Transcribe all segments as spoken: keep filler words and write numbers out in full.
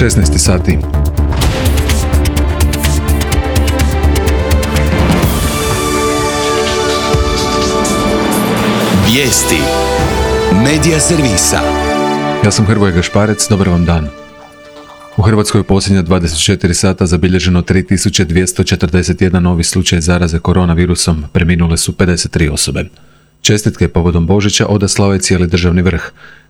šesnaest sati. Vijesti Medija servisa. Ja sam Hrvoje Gašparec, dobar vam dan. U Hrvatskoj u posljednja dvadeset četiri sata zabilježeno tri tisuće dvjesto četrdeset jedan novi slučaj zaraze koronavirusom, preminule su pedeset tri osobe. Čestitke povodom Božića odaslao je cijeli državni vrh.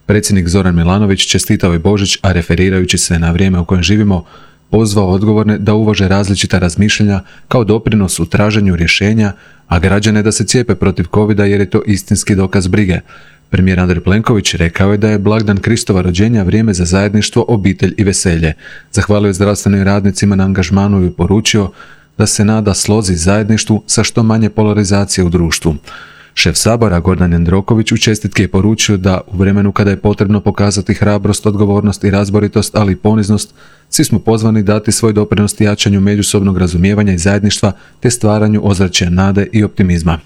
Predsjednik Zoran Milanović čestitao je Božić, a referirajući se na vrijeme u kojem živimo, pozvao odgovorne da uvaže različita razmišljanja kao doprinos u traženju rješenja, a građane da se cijepe protiv covida jer je to istinski dokaz brige. Premijer Andrej Plenković rekao je da je blagdan Kristova rođenja vrijeme za zajedništvo, obitelj i veselje. Zahvalio je zdravstvenim radnicima na angažmanu i poručio da se nada slozi zajedništvu sa što manje polarizacije u društvu. Šef Sabora Gordan Jandroković u čestitki je poručio da u vremenu kada je potrebno pokazati hrabrost, odgovornost i razboritost, ali i poniznost, svi smo pozvani dati svoj doprinos jačanju međusobnog razumijevanja i zajedništva te stvaranju ozračja nade i optimizma.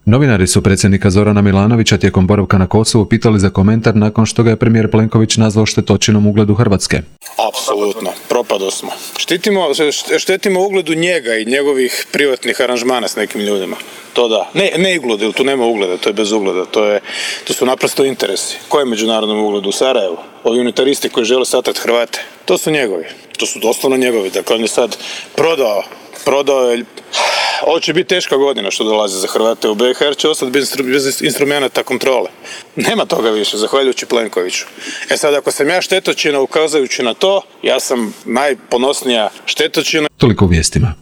Novinari su predsjednika Zorana Milanovića tijekom boravka na Kosovu pitali za komentar nakon što ga je premijer Plenković nazvao štetočinom ugledu Hrvatske. Apsolutno, propado smo. Štitimo, štetimo ugledu njega i njegovih privatnih aranžmana s nekim ljudima. To da. Ne, ne ugled, jer tu nema ugleda, to je bez ugleda. To, je, to su naprosto interesi. Ko je međunarodnom ugledu? U Sarajevu. Ovi unitaristi koji žele satrat Hrvate. To su njegovi. To su doslovno njegovi. Dakle, on je sad prodao. Prodao je... Ovo će biti teška godina što dolazi za Hrvate u B iH, jer će ostati bez, bez instrumenta kontrole. Nema toga više, zahvaljujući Plenkoviću. E sad, ako sam ja štetočina ukazujući na to, ja sam najponosnija štetočina. Toliko u vijestima.